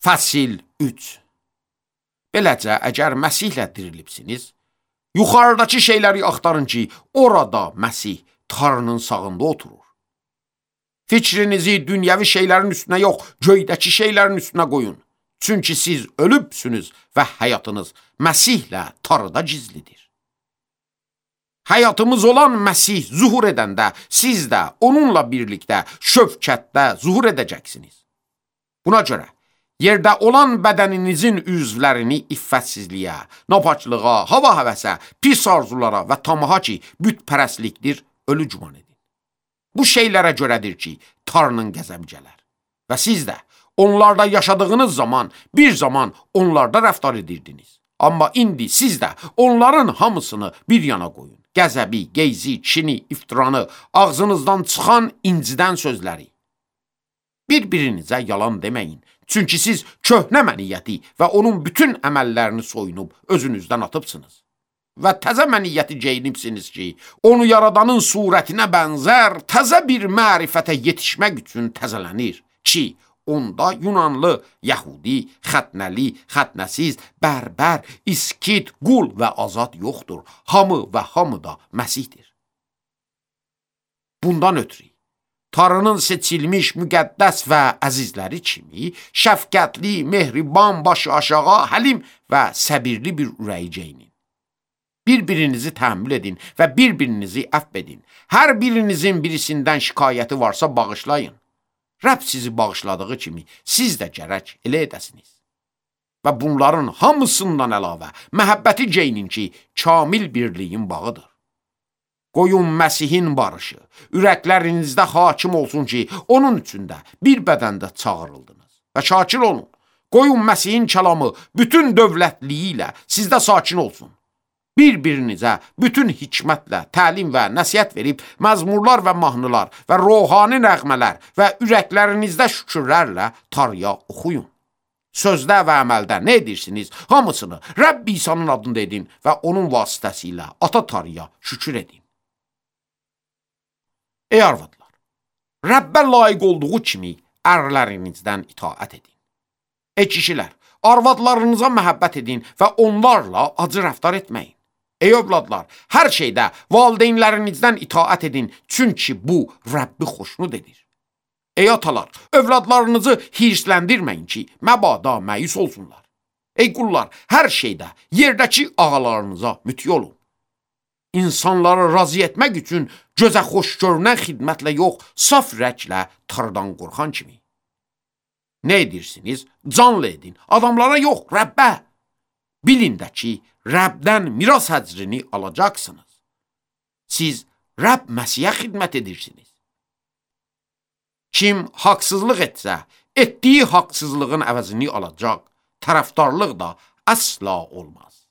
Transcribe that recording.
Fəsil 3. Beləcə, əgər Məsihlə dirilibsiniz, yuxarıdakı şeyləri axtarın ki, orada Məsih Tanrının sağında oturur. Fikrinizi dünyəvi şeylərin üstünə yox, göydəki şeylərin üstünə qoyun. Çünki siz ölübsünüz və həyatınız Məsihlə Tanrıda gizlidir. Həyatımız olan Məsih zuhur edəndə, siz də onunla birlikdə şövkətdə zuhur edəcəksiniz. Buna görə, yerdə olan bədəninizin üzvlərini iffətsizliyə, napaçlığa, hava həvəsə, pis arzulara və tamaha ki, bütpərəstlikdir, ölü güman edin. Bu şeylərə görədir ki, Tanrının qəzəbi gələr. Və siz də onlarda yaşadığınız zaman, bir zaman onlarda rəftar edirdiniz. Amma indi siz də onların hamısını bir yana qoyun. Qəzəbi, geyzi, kini, iftiranı, ağzınızdan çıxan incidən sözləri. Bir-birinizə yalan deməyin. Çünki siz köhnə məniyyəti və onun bütün əməllərini soyunub özünüzdən atıbsınız. Və təzə məniyyəti geyinibsiniz ki, onu yaradanın surətinə bənzər təzə bir mərifətə yetişmək üçün təzələnir ki, onda Yunanlı, Yəhudi, xətnəli, xətnəsiz, bərbər, iskit, qul və azad yoxdur. Hamı və hamı da Məsihdir. Bundan ötürü, Tanrının seçilmiş, müqəddəs və əzizləri kimi, şəfqətli, mehriban, başı aşağı, həlim və səbirli bir ürəyi geyinin. Bir-birinizi təhəmmül edin və bir-birinizi əfv edin. Hər birinizin birisindən şikayəti varsa bağışlayın. Rəbb sizi bağışladığı kimi siz də gərək elə edəsiniz. Və bunların hamısından əlavə məhəbbəti geyinin ki, kamil birliyin bağıdır. Qoyun Məsihin barışı, ürəklərinizdə hakim olsun ki, onun üçün də bir bədəndə çağırıldınız. Və şakir olun, qoyun Məsihin kəlamı bütün dövlətliyi ilə sizdə sakin olsun. Bir-birinizə bütün hikmətlə təlim və nəsihət verib, məzmurlar və mahnılar və ruhani nəğmələr və ürəklərinizdə şükürlərlə Tanrıya oxuyun. Sözdə və əməldə nə edirsiniz, hamısını Rəbb İsa'nın adında edin və onun vasitəsilə Ata Tanrıya şükür edin. Ey arvadlar, Rəbbə layiq olduğu kimi ərlərinizdən itaət edin. Ey kişilər, arvadlarınıza məhəbbət edin və onlarla acı rəftar etməyin. Ey övladlar, hər şeydə valideynlərinizdən itaət edin, çünki bu Rəbbi xoşnud edir. Ey atalar, övladlarınızı hirsləndirməyin ki, məbada məyus olsunlar. Ey qullar, hər şeydə yerdəki ağalarınıza müti olun. İnsanları razı etmək üçün gözə xoş görünən xidmətlə yox, saf ürəklə Tanrıdan qorxan kimi. Nə edirsiniz? Canlı edin, adamlara yox, Rəbbə. Bilin də ki, Rəbdən miras həcrini alacaqsınız. Siz Rəbb Məsihə xidmət edirsiniz. Kim haqsızlıq etsə, etdiyi haqsızlığın əvəzini alacaq, tərəfdarlıq da əsla olmaz.